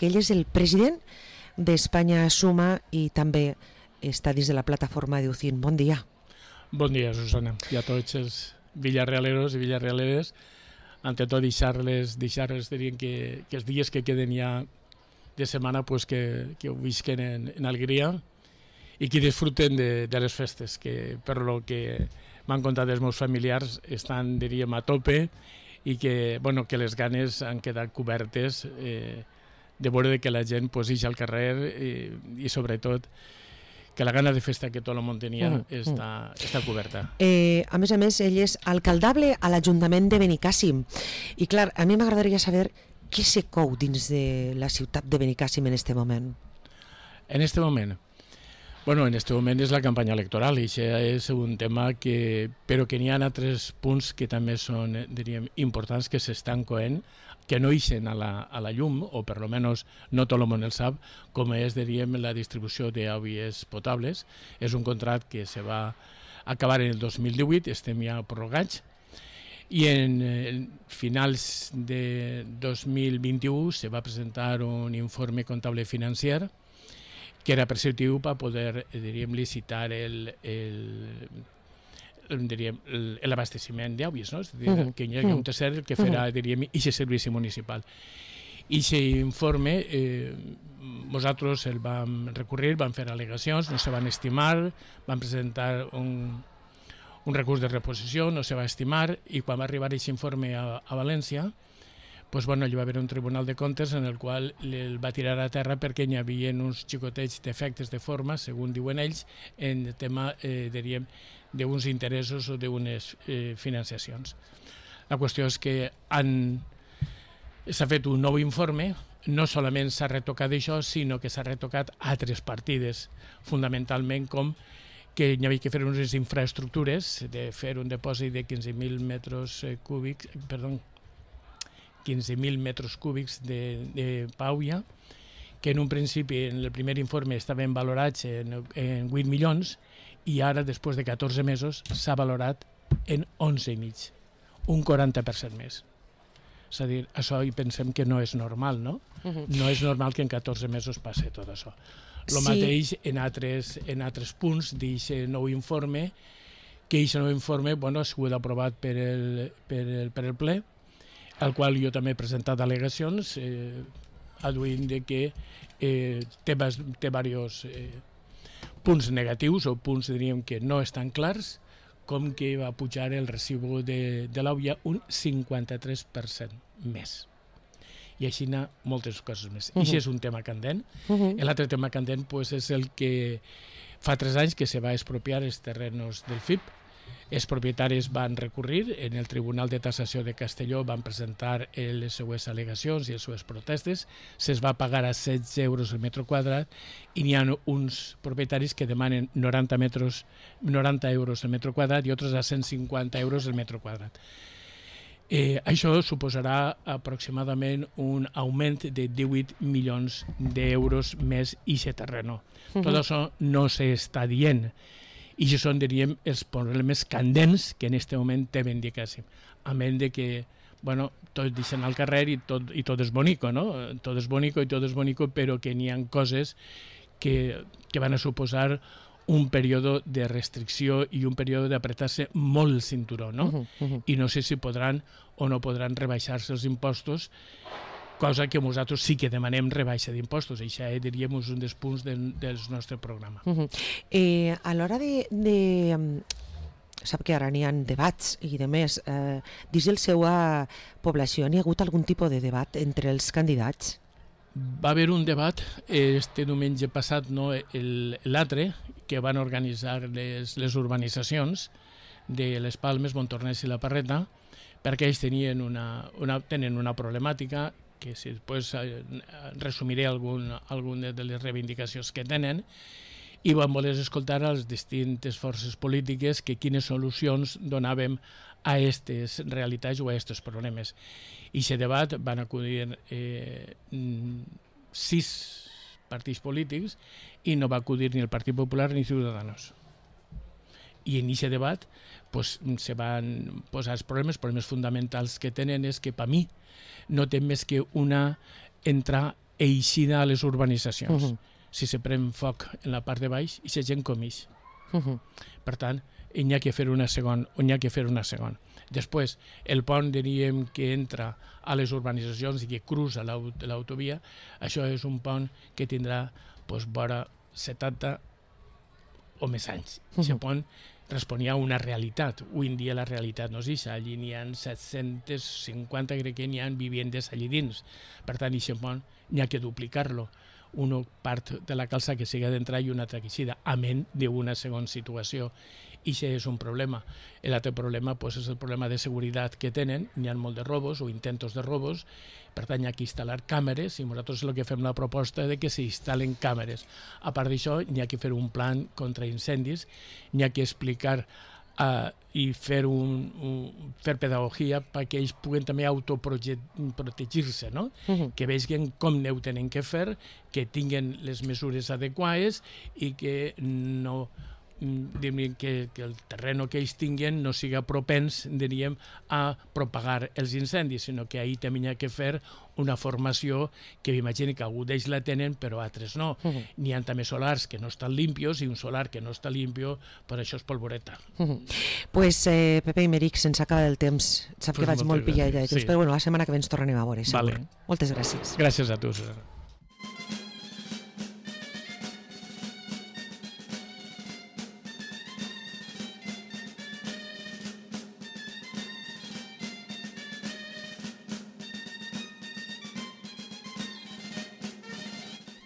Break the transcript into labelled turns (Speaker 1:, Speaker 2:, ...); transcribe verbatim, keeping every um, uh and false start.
Speaker 1: que ell és el president d'Espanya Suma i també està dins de la plataforma d'U C I N. Bon dia.
Speaker 2: Bon dia, Susana, i a tots els villarrealeros i villarrealeres. Ante tot, deixar-les, deixar-les diríem que, que els dies que queden ja de setmana pues, que, que ho visquen en, en alegria i que disfruten de, de les festes, que per lo que m'han contat els meus familiars estan, diríem, a tope i que, bueno, que les ganes han quedat cobertes eh, de veure que la gent pues, ix al carrer i, i sobretot que la gana de festa que tot el món tenia mm, està, mm. està coberta.
Speaker 1: Eh, a més a més, ell és alcaldable a l'Ajuntament de Benicàssim. I clar, a mi m'agradaria saber què se cou dins de la ciutat de Benicàssim en este moment.
Speaker 2: En este moment? Bueno, en este moment és la campanya electoral i això és un tema que... però que n'hi ha altres punts que també són, diríem, importants, que s'estan coent, que no ixen a la, a la llum, o per lo menos no tot el món el sap, com és, diríem, la distribució d'aigües potables. És un contracte que se va acabar en el dos mil divuit, estem ja prorrogats, i en, en finals de dos mil vint-i-u se va presentar un informe comptable financer que era preceptiu per poder, diríem, licitar el, el, diríem, l'abasteciment d'aigües, no? És a dir, uh-huh. que hi ha un tercer que farà, uh-huh. diríem, aquest servici municipal. I aquest informe, eh, nosaltres el vam recurrir, vam fer al·legacions, no se van estimar, vam presentar un, un recurs de reposició, no se va estimar, i quan va arribar aquest informe a, a València, pues, bueno, hi va haver un tribunal de comptes en el qual el va tirar a terra perquè hi havia uns xicotets defectes de forma, segons diuen ells, en el tema, eh, diríem, d'uns interessos o d'unes eh, financiacions. La qüestió és que han... s'ha fet un nou informe, no solament s'ha retocat això, sinó que s'ha retocat altres partides, fundamentalment com que hi havia que fer unes infraestructures, de fer un depòsit de quinze mil metres cúbics, perdó, quinze mil metres cúbics de, de pauia, que en un principi, en el primer informe, estaven valorats en, en vuit milions i ara, després de catorze mesos, s'ha valorat en onze i mig, un quaranta per cent més. És a dir, això hi pensem que no és normal, no? Uh-huh. No és normal que en catorze mesos passi tot això. El sí. mateix en altres, en altres punts d'aquest nou informe, que aquest nou informe bueno, ha sigut aprovat per el, per el, per el ple, al qual jo també he presentat al·legacions, eh, aduint de que eh, té, té diversos eh, punts negatius o punts, diríem, que no estan clars, com que va pujar el recibo de, de l'aigua un cinquanta-tres per cent més. I així n'hi ha moltes coses més. Uh-huh. I això és un tema candent. Uh-huh. L'altre tema candent pues, és el que fa tres anys que se va expropiar els terrenos del F I P. Els propietaris van recurrir, en el Tribunal de Tassació de Castelló van presentar les seues al·legacions i les seues protestes, se'ls va pagar a setze euros el metre quadrat i n'hi ha uns propietaris que demanen noranta, metres, noranta euros el metre quadrat i altres a cent cinquanta euros el metre quadrat. Eh, això suposarà aproximadament un augment de divuit milions d'euros més i aquest terreno. Uh-huh. Tot això no s'està dient. I això són, diríem, els problemes candents que en aquest moment té Benicàssim. A menys de que, bueno, tots deixen al carrer i tot, i tot és bonico, no? Tot és bonico i tot és bonico, però que n'hi ha coses que, que van a suposar un període de restricció i un període d'apretar-se molt el cinturó, no? Uh-huh, uh-huh. I no sé si podran o no podran rebaixar-se els impostos, cosa que nosaltres sí que demanem rebaixa d'impostos. Això, eh, diríem, és un dels punts del, del nostre programa.
Speaker 1: Uh-huh. eh, a l'hora de, de... Sap que ara n'hi ha debats i de més. Eh, dins de la seva població n'hi ha hagut algun tipus de debat entre els candidats?
Speaker 2: Va haver un debat este diumenge passat, no, l'altre, que van organitzar les, les urbanitzacions de les Palmes, Montornès i la Parreta, perquè ells tenien una, una, tenen una problemàtica que si després eh, resumiré algun, algun de les reivindicacions que tenen, i vam voler escoltar a les distintes forces polítiques que quines solucions donàvem a aquestes realitats o a aquests problemes. I aquest debat van acudir eh, sis partits polítics i no va acudir ni el Partit Popular ni Ciudadanos. I en aquest debat pues, se van posar els problemes, els problemes fonamentals que tenen és que per mi no té més que una entrar eixida a les urbanitzacions. Uh -huh. Si se pren foc en la part de baix, i la gent comix. Uh -huh. Per tant, n'hi ha que fer una segona, n'hi ha que fer una segona. Després, el pont, diríem, que entra a les urbanitzacions i que cruza l'autovia, això és un pont que tindrà doncs, vora setanta o més anys. Aquest uh -huh. pont responia a una realitat. Avui en dia la realitat no és això. Allí n'hi ha set-cents cinquanta, crec que n'hi ha viviendes allí dins. Per tant, aquest pont n'hi ha que duplicar-lo. Una part de la calça que sigui d'entrar i una altra que sigui amén d'una segona situació. I això és un problema. L'altre problema pues, és el problema de seguretat que tenen. N'hi ha molt de robos o intentos de robos. Per tant, hi ha que instal·lar càmeres i nosaltres el que fem la proposta de que s'instal·len càmeres. A part d'això, n'hi ha que fer un plan contra incendis, n'hi ha que explicar uh, i fer, un, un, fer pedagogia perquè ells puguen també autoprotegir-se, no? Uh-huh. Que vegin com ho tenen que fer, que tinguin les mesures adequades i que no... Que, que el terreny que ells tinguen no siga propens, diríem, a propagar els incendis, sinó que ahir també hi ha que fer una formació que m'imagino que algú d'ells la tenen, però altres no. Uh-huh. N'hi ha també solars que no estan limpios i un solar que no està limpio, per això és polvoreta.
Speaker 1: Uh-huh. Pues, eh, Pepe Imeric, se'ns acaba el temps. Sap pues que vaig molt pillat de temps, sí. Però bueno, la setmana que ve ens tornem a veure, segur. Vale. Moltes gràcies.
Speaker 2: Gràcies a tu, Susana.